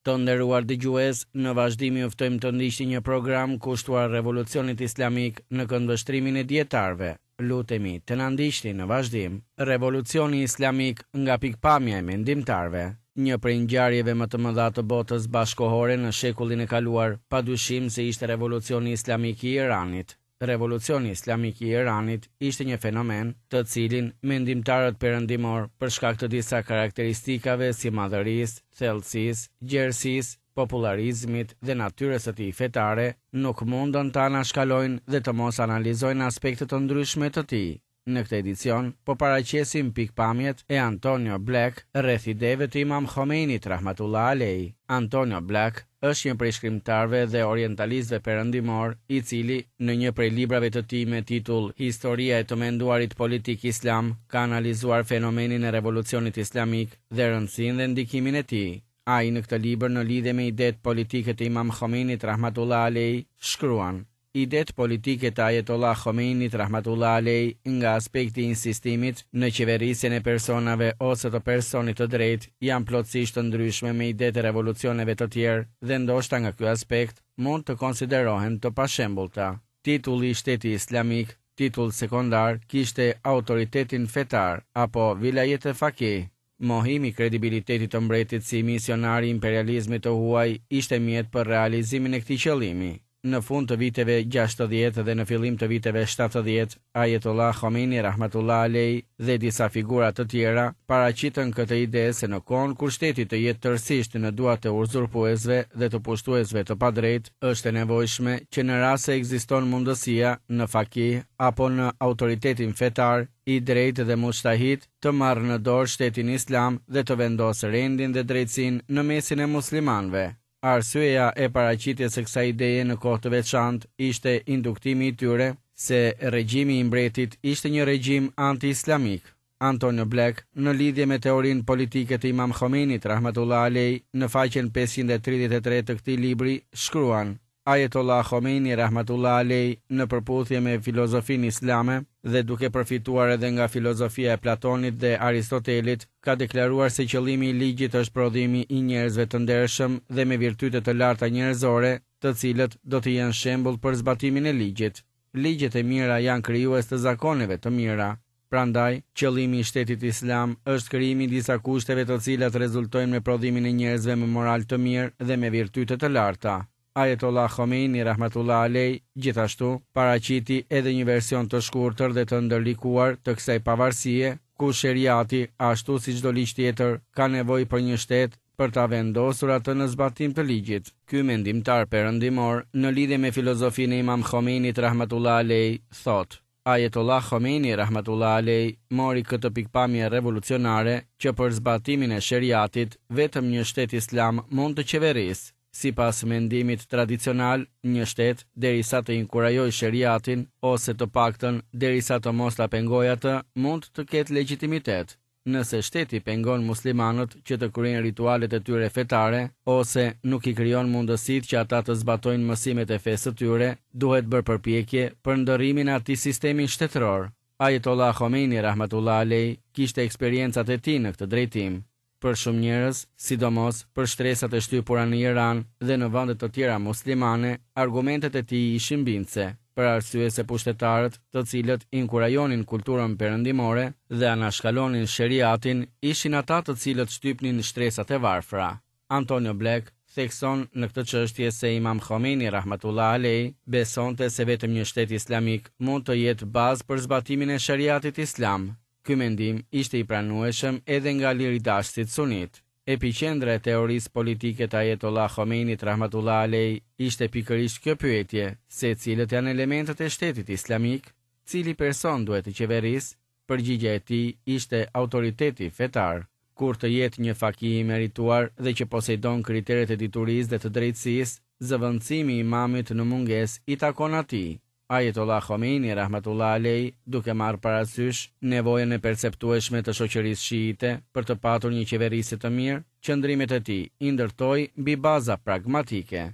Të nderuar dëgjues, në vazhdim ju ftojmë të ndiqni një program kushtuar Revolucionit Islamik në këndvështrimin e dijetarëve. Lutemi të na ndiqni në vazhdim. Revolucioni Islamik nga pikëpamja e mendimtarëve. Një prej ngjarjeve më të mëdha të botës bashkëkohore në shekullin e kaluar, padyshim se ishte Revolucioni Islamik i Iranit. Revolucioni Islamik i Iranit ishte një fenomen, të cilin mendimtarët perëndimorë, për shkak të disa karakteristikave si madhërisë, thellësisë, gjerësisë, popullarizmit dhe natyrës së tij fetare, nuk mundën ta anashkalojnë dhe të mos analizojnë aspekte të ndryshme të tij. Në këtë edicion, po paraqesim pikëpamjet e Antonio Black rreth ideve të Imam Khomeinit rahmatullah alejh. Antonio Black është një prej shkrimtarëve dhe orientalistëve perëndimorë, i cili, në një prej librave të tij me titull Historia e të menduarit politik islam, ka analizuar fenomenin e Revolucionit Islamik dhe rëndësinë dhe ndikimin e tij. Ai në këtë libër në lidhje me idetë politike të Imam Khomeinit rahmatullah alejh, shkruan, Idetë politike të Ajetollah Khomeinit rahmatullah alejh nga aspekti i insistimit në qeverisjen e personave ose të personit të drejtë janë plotësisht të ndryshme me idetë e revolucioneve të tjerë dhe ndoshta nga ky aspekt mund të konsiderohen të pashembullta. Titulli i Shteti Islamik, titull sekondar, kishte autoritetin fetar apo vilajet e fakih. Mohimi i kredibilitetit të mbretit si misionar i imperializmit të huaj ishte mjet për realizimin e këtij qëllimi. Në fund të viteve 60 dhe në fillim të viteve 70, Ajetullah Khomeini rahmatullah alejh dhe disa figura të tjera paraqitën këtë ide se në kohën kur shteti të jetë tërësisht në duart e uzurpuesve dhe të pushtuesve të padrejtë, është e nevojshme që në rast se ekziston mundësia në fakih apo në autoritetin fetar, i drejtë dhe mujtahid, të marrë në dorë shtetin islam dhe të vendosë rendin dhe drejtësinë në mesin e muslimanëve. Arsyeja e paraqitjes së kësaj ideje në kohë të veçantë ishte induktimi i tyre se regjimi i mbretit ishte një regjim anti-islamik. Antonio Black, në lidhje me teorinë politike të Imam Khomeinit rahmatullah alejh, në faqen 533 të këtij libri, shkruan: Ajetollah Khomeini rahmatullah alejh në përputhje me filozofinë islame dhe duke përfituar edhe nga filozofia e Platonit dhe Aristotelit, ka deklaruar se qëllimi i ligjit është prodhimi i njerëzve të ndershëm dhe me virtyte të larta njerëzore, të cilët do të jenë shembull për zbatimin e ligjit. Ligjet e mira janë krijues të zakoneve të mira. Prandaj, qëllimi i shtetit islam është krijimi i disa kushteve të cilat rezultojnë me prodhimin e njerëzve me moral të mirë dhe me virtyte të larta. Ajetollah Khomeini rahmatullah alejh, gjithashtu, paraqiti edhe një version të shkurtër dhe të ndërlikuar të kësaj pavarësie, ku sheriati, ashtu si çdo ligj tjetër, ka nevojë për një shtet për ta vendosur atë në zbatim të ligjit. Ky mendimtar perëndimor, në lidhje me filozofinë e Imam Khomeinit rahmatullah alejh, thotë: Ajetollah Khomeini rahmatullah alejh mori këtë pikëpamje revolucionare që për zbatimin e sheriatit vetëm një shtet islam mund të qeverisë. Sipas mendimit tradicional, një shtet, derisa të inkurajojë sheriatin, ose të paktën derisa të mos ta pengojë atë, mund të ketë legjitimitet. Nëse shteti pengon muslimanët që të kryejnë ritualet e tyre fetare, ose nuk i krijon mundësitë që ata të zbatojnë mësimet e fesë së tyre, duhet bërë përpjekje për ndërrimin e atij sistemi shtetëror. Ajetollah Khomeini rahmatullah alejh kishte eksperiencat e tij në këtë drejtim. Për shumë njerëz, sidomos për shtresat e shtypura në Iran dhe në vende të tjera muslimane, argumentet e tij ishin bindëse, për arsye se pushtetarët, të cilët inkurajonin kulturën perëndimore dhe anashkalonin sheriatin, ishin ata të cilët shtypnin shtresat e varfra. Antonio Black thekson në këtë çështje se Imam Khomeini rahmatullah alejh besonte se vetëm një shtet islamik mund të jetë bazë për zbatimin e sheriatit islam. Ky mendim ishte i pranueshëm edhe nga liridashësit sunitë. Epiqendra e teorisë politike të Ajetollah Khomeinit rahmatullah alejh ishte pikërisht kjo pyetje, se cilët janë elementët e shtetit islamik? Cili person duhet të qeverisë? Përgjigja e tij ishte autoriteti fetar. Kur të jetë një fakih i merituar dhe që poseidon kriteret e diturisë dhe të drejtësisë, zëvendësimi i imamit në mungesë i takon atij. Ajetollah Khomeini rahmatullah alejh, duke marrë parasysh nevojën e perceptueshme të shoqërisë shiite për të patur një qeverisje të mirë, qëndrimet e tij i ndërtoi mbi baza pragmatike.